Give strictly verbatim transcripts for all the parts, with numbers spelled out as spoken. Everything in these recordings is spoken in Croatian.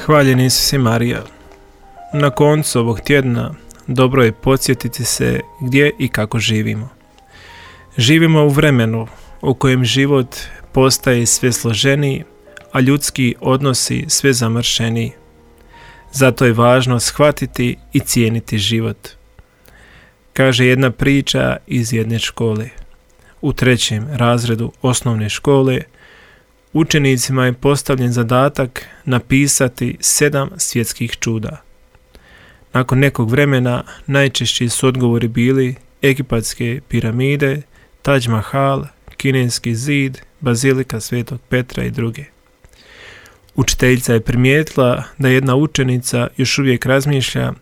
Hvaljen Isus i Marija. Na koncu ovog tjedna dobro je podsjetiti se gdje i kako živimo. Živimo u vremenu u kojem život postaje sve složeniji, a ljudski odnosi sve zamršeniji. Zato je važno shvatiti i cijeniti život. Kaže jedna priča iz jedne škole. U trećem razredu osnovne škole učenicima je postavljen zadatak napisati sedam svjetskih čuda. Nakon nekog vremena najčešći su odgovori bili Egipatske piramide, Taj Mahal, Kineski zid, Bazilika Svetog Petra i druge. Učiteljica je primijetila da jedna učenica još uvijek razmišlja,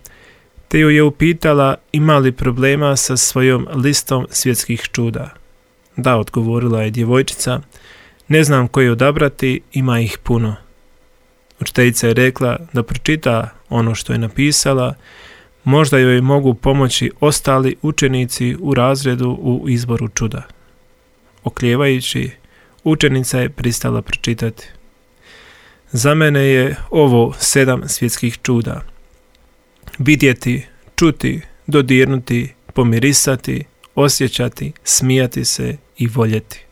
te ju je upitala ima li problema sa svojom listom svjetskih čuda. Da, odgovorila je djevojčica, ne znam koje odabrati, ima ih puno. Učiteljica je rekla da pročita ono što je napisala, možda joj mogu pomoći ostali učenici u razredu u izboru čuda. Oklijevajući, učenica je pristala pročitati. Za mene je ovo sedam svjetskih čuda. Vidjeti, čuti, dodirnuti, pomirisati, osjećati, smijati se i voljeti.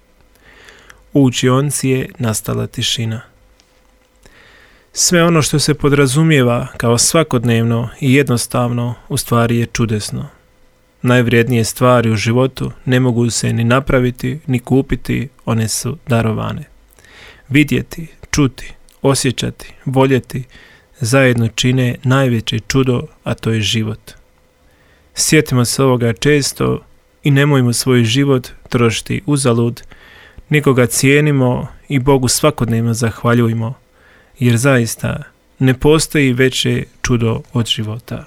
U učionci je nastala tišina. Sve ono što se podrazumijeva kao svakodnevno i jednostavno u stvari je čudesno. Najvrijednije stvari u životu ne mogu se ni napraviti, ni kupiti, one su darovane. Vidjeti, čuti, osjećati, voljeti zajedno čine najveće čudo, a to je život. Sjetimo se ovoga često i nemojmo svoj život trošiti uzalud, nego ga cijenimo i Bogu svakodnevno zahvaljujmo, jer zaista ne postoji veće čudo od života.